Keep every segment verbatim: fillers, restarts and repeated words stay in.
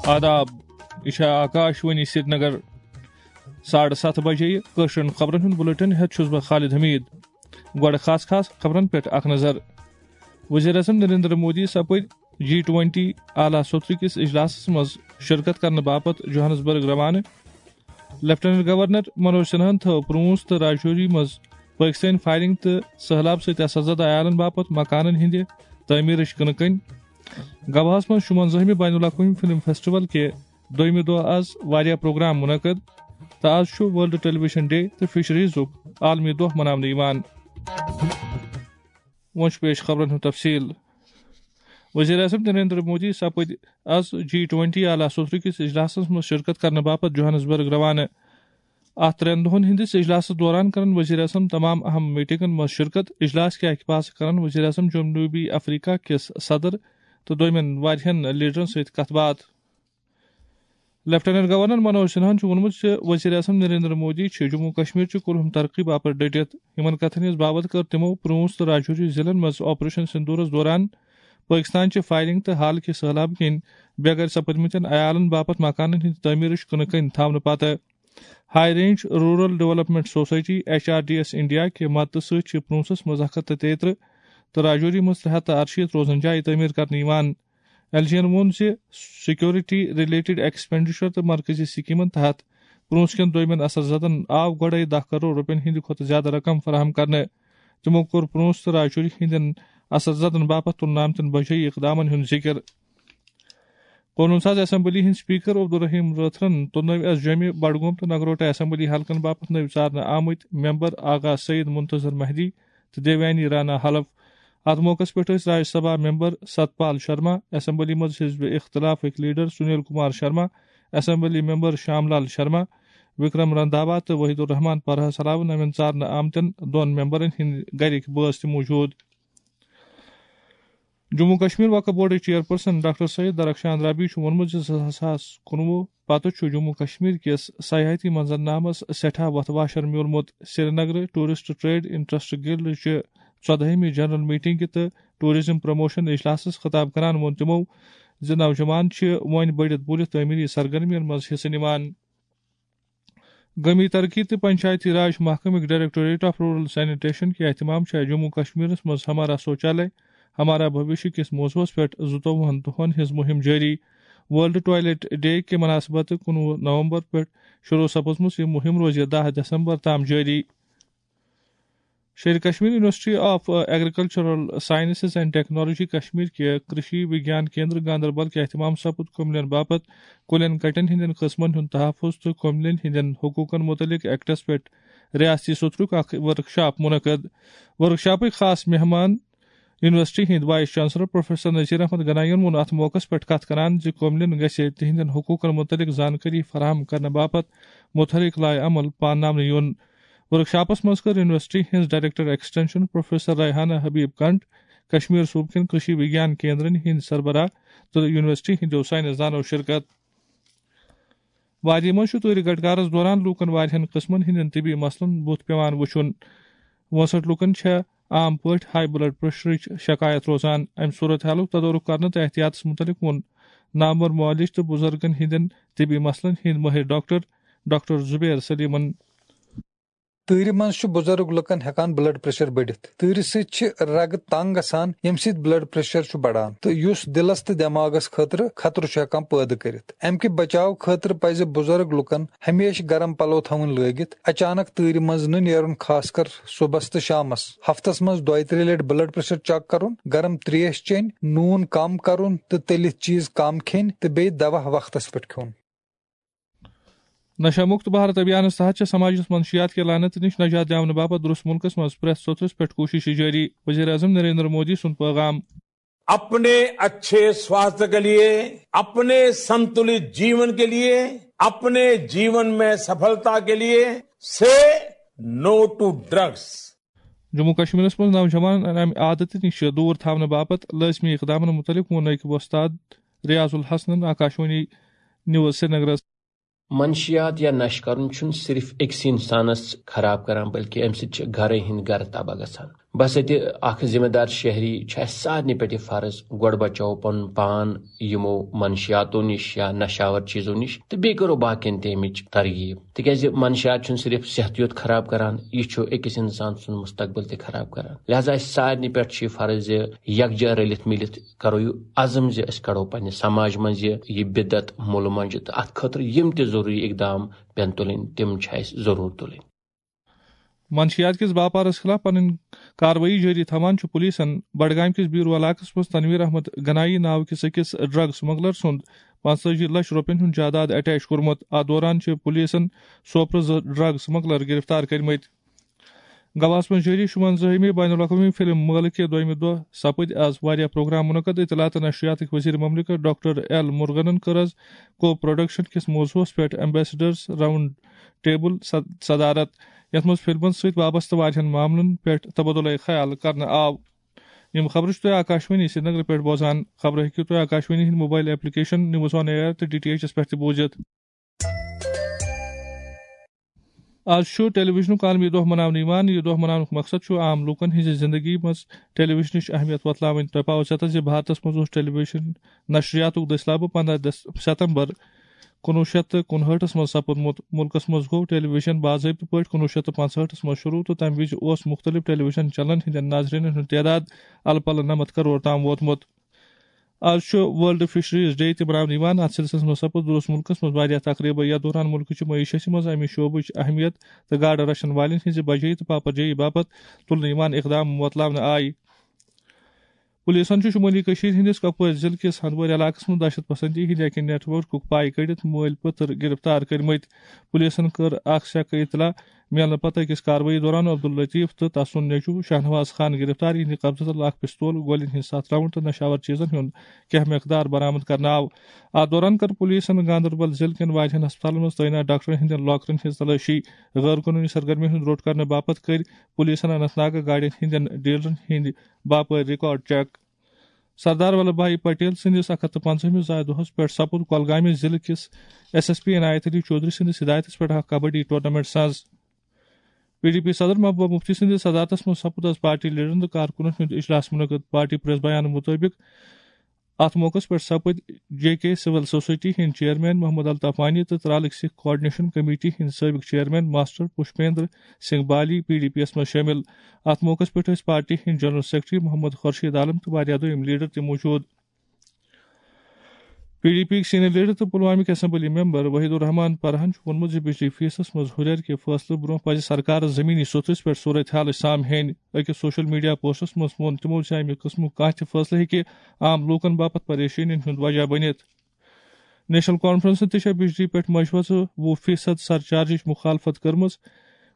آداب، یہِ چھےٚ آکاش وانی سرینگر۔ ساڑٕ ستھ بجے یہِ کٲشرٮ۪ن خبرن ہُنٛد بُلٹن ہٮ۪تھ چھُس بہٕ خالد حمید۔ گۄڈٕ خاص خاص خبرن پٮ۪ٹھ اکھ نظر۔ وزیر اعظم نریندر مودی سپٕدۍ جی ٹوئنٹی اعلیٰ سوترٕ کِس اجلاسس منٛز شرکت کرنہٕ باپتھ جوہانسبرگ روانہٕ۔ لیفٹیننٹ گورنر منوج سنہاہن تھٲو پرونس تہٕ راجوری منٛز پٲکستٲنۍ فائرنگ تہٕ سہلاب سۭتۍ اثر زدہ عیالن باپتھ مکانن ہٕنٛدِ تعمیرٕچ کٕنہٕ کٔنۍ۔ گواہس منٛز شُونزٲہمہِ بین الاقوٲمی فلم فیسٹیول کہِ دوٚیمہِ دۄہ آز واریاہ پروگرام منعقد تہٕ آز چھُ ورلڈ ٹیلی ویژن ڈے تہٕ فشریزُک عالمی دۄہ مناونہٕ یِوان۔ وۄنۍ چھُ پیش خبرن ہُنٛد تفصیل۔ وزیر اعظم نریندر مودی سپٕدۍ آز جی ٹوئنٹی اعلیٰ سوترٕ کِس اجلاسس منٛز شرکت کرنہٕ باپتھ جوہانسبرگ روانہٕ۔ اتھ ترٛٮ۪ن دۄہن ہٕنٛدِس اجلاسس دوران کرن وزیر اعظم تمام اہم میٹنگن منٛز شرکت۔ اجلاس کہِ اکہِ پاسہٕ کرن وزیر اعظم جنوبی افریقہ کِس صدر تہٕ دوٚیمٮ۪ن واریاہن لیڈرن سۭتۍ کتھ باتھ۔ لیفٹیننٹ گورنر منوج سنہاہن چھُ ووٚنمُت زِ وزیر اعظم نریندر مودی چھِ جموں کشمیر چہِ کُلہُم ترقی باپتھ ڈٔٹِتھ۔ یِمن کتھن ہٕنٛز باوتھ کٔر تِمو پرونس تہٕ راجوری ضلعن منٛز آپریشن سندورس دوران پٲکستان چہِ فائرنگ تہٕ حال کہِ سہلاب کِنۍ بے گھر سپدمٕتٮ۪ن عیالن باپتھ مکانن ہٕنٛدِ تعمیرٕچ کٕنہٕ کٔنۍ تھاونہٕ پتہٕ۔ High range rural development society, H R D S India, کہِ مدتہٕ سۭتۍ چھِ پرونسس منٛز اکھ ہتھ تہٕ تیترٕہ تہٕ راجوری منٛز ترٛےٚ ہتھ تہٕ ارشیٖتھ روزن جایہِ تعمیٖر کرنہٕ یِوان۔ ایل جی ین ووٚن زِ سیکورٹی ریلیٹڈ ایکسپینڈیچر تہٕ مرکزی سکیمن تحت پرونس کٮ۪ن دوٚیمٮ۪ن اثر زدن آو گۄڈے دَہ کرور رۄپین ہٕنٛدِ کھۄتہٕ زیادٕ رقم فراہم کرنہٕ۔ تِمو کوٚر پرونس تہٕ راجوری ہٕنٛدٮ۪ن اثر زدن باپتھ تُلنہٕ آمتٮ۪ن بجٲیی اقدامن ہُنٛد ذِکر۔ قونوٗن ساز اسمبلی ہٕنٛدۍ سپیکر عبدالرحیم رٲتھرن تُلنٲوۍ از جوٚمہِ، بڈگوم تہٕ نگروٹہ اسمبلی حلقن باپتھ نٔوۍ ژارنہٕ آمٕتۍ ممبر آغا سعید منتظر مہدی تہٕ دیویانی رانا حلف۔ اتھ موقعس پٮ۪ٹھ ٲسۍ راجیہ سبھا ممبر ستپال شرما، اسمبلی منٛز حزب اختلافٕکۍ leader Sunil Kumar Sharma, assembly member Sham Lal Sharma, Vikram Randhawa تہٕ وحید الرحمان پرہس علاوٕ نوٮ۪ن ژارنہٕ آمتٮ۪ن دۄن ممبرن ہٕنٛدۍ گرِکۍ بٲژ تہِ موجود۔ جموں کشمیر وقف بورڈٕچ چیئرپرسن ڈاکٹر سید درخشان ربی چھُ ووٚنمُت زِ زٕ ساس کُنوُہ پتہٕ چھُ جموں کشمیر کِس سیاحتی منظرنامس سٮ۪ٹھاہ وتھ واشر میوٗلمُت۔ سرینگرٕ ٹورسٹ ٹریڈ انٹرسٹ گلڈ چہِ ژۄدہٲیمہِ جنرل میٹنگہِ تہٕ ٹورازم پروموشن اجلاسس خطاب کران ووٚن تِمو زِ نوجوان چھِ وۄنۍ بٔڑِتھ بٔڑِتھ تعمیری سرگرمین منٛز حصہٕ نِوان۔ گٲمی ترقی تہٕ Panchayati Raj محکمٕکۍ directorate of rural sanitation کہِ اہتمام چھِ جموں کشمیرس منٛز ہمارا شوچالیہ ہمارا بھوشیہ کِس موضوعس پٮ۪ٹھ زٕتووُہن دۄہن ہٕنٛز مُہِم جٲری۔ ورلڈ ٹوائلٹ ڈے کہِ مناسبت کُنوُہ نومبر پٮ۪ٹھ شروع سپٕزمٕژ یہِ مُہِم روزِ دَہ دسمبر تام جٲری۔ Sher Kashmir university of agricultural sciences and technology Kashmir کہِ کرشی وگیان کیندر گاندربل کہِ اہتمام سپُد کُملین باپتھ کُلٮ۪ن کٹٮ۪ن ہٕنٛدٮ۪ن قٕسمن ہُنٛد تحفظ تہٕ کُملٮ۪ن ہٕنٛدٮ۪ن حقوٗقن مُتعلق ایکٹس پٮ۪ٹھ ریاستی سوترُک اکھ ورکشاپ منعقد۔ ورکشاپٕکۍ خاص مہمان یونیورسٹی ہٕنٛدۍ vice chancellor professor Nazir Ahmad Ganai یَن ووٚن اتھ موقعس پٮ۪ٹھ کتھ کران زِ کُملٮ۪ن گژھِ تِہنٛدٮ۪ن حقوٗقن مُتعلق زانکٲری فراہم کرنہٕ باپتھ متحرک لائے عمل پانناونہٕ یُن۔ ورکشاپس منٛز کٔر یونیورسٹی ہٕنٛز director extension professor Rehana Habib Kant, Kashmir صوبہٕ کٮ۪ن کرشی وگیان کیندرن ہٕنٛدۍ سربراہ تہٕ یونیورسٹی ہٕنٛدیو سائنسدانو شرکت۔ وادی منٛز چھُ تۭرِ گٹکارس دوران لوٗکن واریاہن قٕسمن ہٕنٛدٮ۪ن طبی مسلن بُتھ پٮ۪وان وُچھُن۔ وُنسٹھ لوٗکن چھےٚ عام پٲٹھۍ ہائی بلڈ پریشرٕچ شکایت روزان۔ امہِ صورت حالُک تدارک کرنہٕ تہٕ احتیاطس مُتعلق ووٚن نامور معالج تہٕ بُزرگن ہٕنٛدٮ۪ن طبی مسلن ہٕنٛدۍ مٲہِر ڈاکٹر، ڈاکٹر زبیر سلیمن۔ تۭرِ منٛز چھُ بُزرگ لُکن ہٮ۪کان بلڈ پریشر بٔڑِتھ۔ تۭرِ سۭتۍ چھِ رگہٕ تنگ گژھان، ییٚمہِ سۭتۍ بلڈ پریشر چھُ بڑان تہٕ یُس دِلس تہٕ دٮ۪ماغس خٲطرٕ خطرٕ چھُ ہٮ۪کان پٲدٕ کٔرِتھ۔ امہِ کہِ بچاو خٲطرٕ پزِ بُزرگ لُکن ہمیشہٕ گرم پلو تھاوٕنۍ لٲگِتھ، اچانک تۭرِ منٛز نہٕ نیرُن، خاص کر صُبحس تہٕ شامس۔ ہفتس منٛز دۄیہِ ترٛیٚیہِ لٹہِ بلڈ پریشر چیک کرُن، گرم تریش چیٚنۍ، نوٗن کم کرُن تہٕ تٔلِتھ چیٖز کم کھیٚنۍ تہٕ بیٚیہِ دوا وقتس پٮ۪ٹھ کھیوٚن۔ نشہ مکت بھارت ابھیانس تحت چھِ سماجس منشیات کہِ لعنت نِش نجات دِلاونہٕ باپتھ درست مُلکس منٛز پرٛٮ۪تھ سوٚتھرس پٮ۪ٹھ کوٗشش جٲری۔ وزیر اعظم نریندر مودی سُنٛد پیغام۔ अपने अच्छे स्वास्थ्य के लिए, अपने संतुलित जीवन के लिए, अपने जीवन में सफलता के लिए, say no to drugs. Jammu کشمیرس منٛز نوجوانن امہِ عادتہٕ نِش دوٗر تھاونہٕ باپتھ لٲزمی اقدامن مُتعلق ووٚن أکۍ وۄستاد ریاض الحسنن آکاشوانی نیوز سرینگرس۔ منشیات یا نشہٕ کرُن چھُنہٕ صرف أکِس انسانس خراب کران، بلکہِ امہِ سۭتۍ چھِ گرے ہٕنٛدۍ گرٕ تباہ گژھان۔ بس اتہِ اکھ ذمہ دار شہری چھُ اسہِ سارنٕے پٮ۪ٹھ یہِ فرض، گۄڈٕ بچاوو پنُن پان یِمو منشیاتو نِش یا نشاور چیزو نِش، تہٕ بیٚیہِ کرو باقین تہِ امِچ ترغیب، تِکیازِ منشیات چھُنہٕ صرف صحت یوت خراب کران، یہِ چھُ أکِس انسان سُنٛد مستقبل تہِ خراب کران۔ لہذا اسہِ سارنٕے پٮ۪ٹھ چھُ یہِ فرض زِ یکجا رٔلِتھ مِلِتھ کرو یہِ عزم زِ أسۍ کڑو پننہِ سماج منٛز یہِ، یہِ بدعت مُلہٕ منٛجہِ، تہٕ اتھ خٲطرٕ یِم تہِ ضروٗری اقدام پٮ۪ن تُلٕنۍ، تِم چھِ اسہِ ضروٗر تُلٕنۍ۔ منشیات کِس باپارس خلاف پنٕنۍ کاروٲیی جٲری تھاوان چھُ پُلیٖسن بڈگامہِ کِس بیٖرو علاقس منٛز تنویر احمد گنایی ناوٕ کِس أکِس ڈرگ سمگلر سُنٛد پانٛژتٲجی لچھ رۄپین ہُنٛد جائیداد اٹیچ کوٚرمُت۔ اتھ دوران چھِ پُلیٖسن سوپرٕ زٕ ڈرگ سمگلر گرفتار کٔرمٕتۍ۔ گواہس منٛز جٲری شُوَنزٲہِمہِ بین الاقوٲمی فلم مٲلہٕ کہِ دوٚیمہِ دۄہ سپٕدۍ از واریاہ پروگرام منعقد۔ اطلاعات تہٕ نشریاتٕکۍ وزیر مملکت ڈاکٹر ایل مرغنن کٔر از کو پروڈکشن کِس موضوعس پٮ۪ٹھ ایمبیسڈرز راؤنڈ ٹیبل صد-، صدارت، یتھ منٛز فلمن سۭتۍ وابستہٕ واریاہن معاملن پٮ۪ٹھ تبادلہ خیال کرنہٕ آو۔ یِم خبرٕ چھِو تُہۍ آکاشوانی سرینگرٕ پٮ۪ٹھ بوزان۔ خبرٕ ہیٚکِو تُہۍ آکاشوانی ہٕنٛدِ mobile application news on AIR تہٕ ڈی ٹی ایچ یَس پٮ۪ٹھ تہِ بوٗزِتھ۔ آز چھُ ٹیلی ویژنُک عالمی دۄہ مناونہٕ یِوان۔ یہِ دۄہ مناونُک مقصد چھُ عام لوٗکن ہٕنٛزِ زِندگی منٛز ٹیلی ویژنٕچ اہمیت وۄتلاوٕنۍ۔ تۄہہِ پاوٕ سیوٚتاً زِ بھارتس منٛز اوس ٹیلی ویژن نشریاتُک دٔسلابہٕ پنٛداہ دس-، ستمبر کُنوُہ شیٚتھ تہٕ کُنہٲٹھس منٛز سپُدمُت۔ مُلکس منٛز گوٚو ٹیلی ویژن باضٲبطہٕ پٲٹھۍ کُنوُہ شیٚتھ تہٕ پانٛژہٲٹھس منٛز شروٗع تہٕ تَمہِ وِزِ اوس مُختٔلِف ٹیلی ویژن چینلن ہٕنٛدٮ۪ن ناظریٖنن ہُنٛد تعداد الہٕ پلہٕ نَمَتھ کرور تام ووتمُت۔ آز چھُ ورلڈ فشریز ڈے تہِ مناونہٕ یِوان۔ اَتھ سلسلس منٛز سپُد روٗس مُلکس منٛز واریاہ تقریٖبہٕ، یَتھ دوران مُلکہٕ چہِ معیشتہِ منٛز اَمہِ شعبٕچ اہمیت تہٕ گاڈٕ رچھن والٮ۪ن ہٕنٛزِ بجٲیی تہٕ پاپرجٲیی باپتھ تُلنہٕ یِوان اقدام وۄتلاونہٕ آیہِ۔ پُلیٖسن چھُ شُمٲلی کٔشیٖرِ ہٕنٛدِس کۄپوٲرۍ ضلعہٕ کِس ہندوٲرۍ علاقس منٛز دہشت پسندی ہٕنٛدِ اَکہِ نیٹ ورکُک پاے کٔڑِتھ مٲلۍ پٔتٕر گرفتار کٔرمٕتۍ۔ پُلیٖسن کٔر اکھ سیکہٕ اطلاع میلنہٕ پتہٕ أکِس کاروٲیی دوران عبداللطیف تہٕ تسُنٛد نیٚچُو شاہنواز خان گرفتار۔ یِہنٛدِ قبضہٕ تل اکھ پستول، گولٮ۪ن ہٕنٛدۍ ستھ راؤنڈ تہٕ نشاور چیٖزن ہُنٛد کینٛہہ مقدار برآمد کرنہٕ آو۔ اتھ دوران کٔر پُلیٖسن گاندربل ضلعہٕ کٮ۪ن واریاہن ہسپتالن منٛز تعینات ڈاکٹرن ہٕنٛدٮ۪ن لاکرن ہٕنٛز تلٲشی۔ غٲر قونوٗنی سرگرمی ہُنٛد روٚٹ کرنہٕ باپتھ کٔرۍ پُلیٖسن اننت ناگہٕ گاڑٮ۪ن ہٕنٛدٮ۪ن ڈیلرن ہٕنٛدۍ باپٲرۍ ریکارڈ چیک۔ سردار ولبھ بھائی پٹیل سٕنٛدِس اکھ ہتھ تہٕ پنٛژاہمِس زایہِ دۄہس پٮ۪ٹھ سپُد کۄلگامہِ ضلعہٕ کِس ایس ایس پی عنایت علی چودھری سٕنٛدِس ہدایتس پٮ۪ٹھ اکھ کبڈی ٹورنامنٹ ساز۔ پی ڈی پی صدر محبوبہ مفتی سٕنٛدِس صدارتس منٛز سپُد از پارٹی لیڈرن تہٕ کارکُنن ہُنٛد اجلاس منعقد۔ پارٹی پریس بیان مُطٲبِق اتھ موقعس پٮ۪ٹھ سپٕدۍ جے کے سول سوسائٹی ہٕنٛدۍ چیئرمین محمد الطاف وانی تہٕ ترالٕکۍ سکھ کوآرڈینیشن کمیٹی ہٕنٛدۍ سٲبق چیئرمین ماسٹر پشپیندر سنگھ بالی پی ڈی پی یَس منٛز شٲمِل۔ اتھ موقعس پٮ۪ٹھ ٲسۍ پارٹی ہٕنٛدۍ جنرل سیکرٹری محمد خورشید عالم تہٕ واریاہ دوٚیِم لیڈر تہِ موجود۔ پی ڈی پی یِکۍ سینئر لیڈر تہٕ پلوامِکۍ اسمبلی ممبر وحید الرحمان پرہن چھُ ووٚنمُت زِ بجلی فیسس منٛز ہُرٮ۪ر کہِ فٲصلہٕ برونٛہہ پزِ سرکارس زمینی سطحس پٮ۪ٹھ صورتحال سامہِ ہینۍ۔ أکِس سوشل میڈیا پوسٹس منٛز ووٚن تِمو زِ امہِ قٕسمُک کانٛہہ تہِ فٲصلہٕ ہیٚکہِ عام لوٗکن باپتھ پریشٲنین ہُنٛد وجہ بٔنِتھ۔ نیشنل کانفرنسن تہِ چھےٚ بجلی پٮ۪ٹھ مشروعژٕ وُہ فیصد سرچارجٕچ مخالفت کٔرمٕژ۔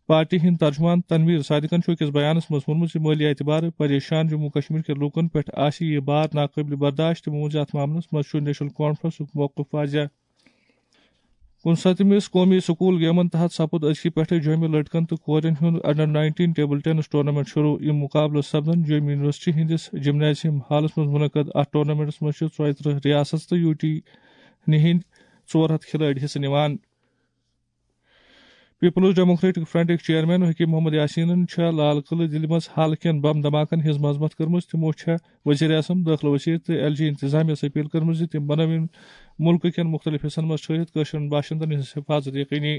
پارٹی ہٕنٛدۍ ترجمان تنویر صادقن چھُ أکِس بیانس منٛز ووٚنمُت زِ مٲلی اعتبارٕ پریشان جموں کشمیر کٮ۪ن لوٗکن پٮ۪ٹھ آسہِ یہِ بار ناقٲبلِ برداشت۔ تِمو ووٚن زِ اتھ معاملس منٛز چھُ نیشنل کانفرنسُک موقف واضح۔ کُنسَتتھمِس قومی سکول گیمن تحت سپُد أزکہِ پٮ۪ٹھٕ جوٚمہِ لڑکن تہٕ کورٮ۪ن ہُنٛد under nineteen table tennis tournament شروع۔ یِم مقابلہٕ سپدن جوٚمہِ یونیورسٹی ہٕنٛدِس جمنازیم ہالس منٛز منعقد۔ اتھ ٹورنامنٹس منٛز چھِ ژۄیہِ ترٕہ ریاست تہٕ یوٗ ٹی ہٕنٛدۍ ژور ہتھ کھلٲڑۍ حصہٕ نِوان۔ Peoples democratic فرنٹٕکۍ chairman Hakim Muhammad یاسینن چھےٚ لال قلعہٕ دِلہِ منٛز حال کٮ۪ن بم دھماکن ہٕنٛز مذمت کٔرمٕژ۔ تِمو چھےٚ وزیر اعظم، دٲخلہٕ وزیر تہٕ ایل جی انتظامیہ یَس اپیل کٔرمٕژ زِ تِم بنٲوِن مُلکہٕ کٮ۪ن مُختٔلِف حصن منٛز ٹھٔہرِتھ کٲشرٮ۪ن باشندن ہٕنٛز حفاظت یقینی۔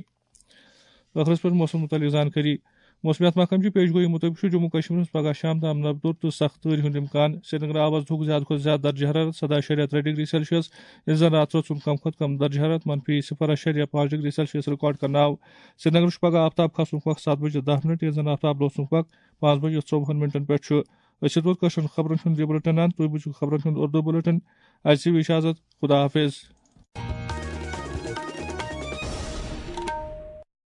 ٲخرس پٮ۪ٹھ موسم مُتعلق زانکٲری۔ موسمیات محکمہٕ چہِ پیشگویی مُطٲبِق چھُ جموں کشمیرس منٛز پگہہ شام تام نبدُر تہٕ سخت تۭرِ ہُنٛد امکان۔ سرینگر آو از دُھک زیادٕ کھۄتہٕ زیادٕ درجہٕ حرارت سداہ اَشاریہ ترٛےٚ ڈگری سیلسیس، ییٚلہِ زن راتہٕ رٲژ ہُنٛد کم کھۄتہٕ کم درجہٕ حرارت منفی صفر اَشاریہ پانٛژھ ڈگری سیلسیس ریکارڈ کرنہٕ آو۔ سرینگرس چھُ پگہہ آفتاب کھسنُک وقت ستھ بجے دَہ منٹ، ییٚلہِ زن آفتاب لوسنُک وقت پانٛژھ بجے ژوٚوُہن منٹن پٮ۪ٹھ چھُ۔ أسۍ چھِ ووت کٲشرٮ۪ن خبرن ہُنٛد یہِ بُلٹن اند۔ تُہۍ بوٗزِو خبرن ہُنٛد اردو بُلٹن۔ اَسہِ دِیِو اجازت۔ خدا حافظ۔